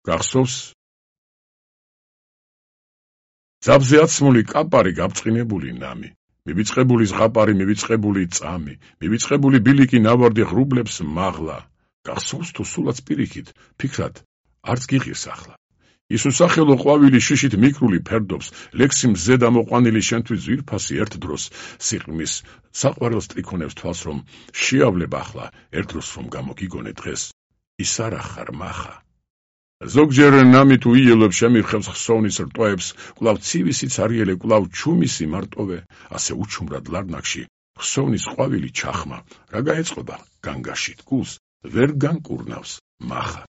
გახსოვს? ძაბზე აცმული კაპარი გაბწყინებული ნამი, მივიწყებული ზღაპარი, მივიწყებული წამი, მივიწყებული ბილიკი ნავარდი ღრუბლებს მაღლა. გახსოვს თუ სულაც პირიქით, ფიქრად, არც გიღირს ახლა. ის უსახელო ყვავილი შიშით მიკრული ფერდობს, ლექსი მზე დამოყვანილი შენთვის ძვირფასი ერთ დროს სიყრმის საყვარელს ტრიქონებს თვალს რომ შეავლებ ახლა, ერთ დროს რომ გამოგიგონე დღეს, ის არა ხარ მახა. ზოგჯერ ნამი თუ იელებ შემირხევს ხსოვნის რტოებს, კვლავ ცივი სიცარიელე, კვლავ ჩუმისი მარტოვე, ასე უჩუმრად ლარნაკში, ხსოვნის ყვავილი ჩახმა, რა გაეწყობა განგაშით გულს, ვერ განკურნავს მახა.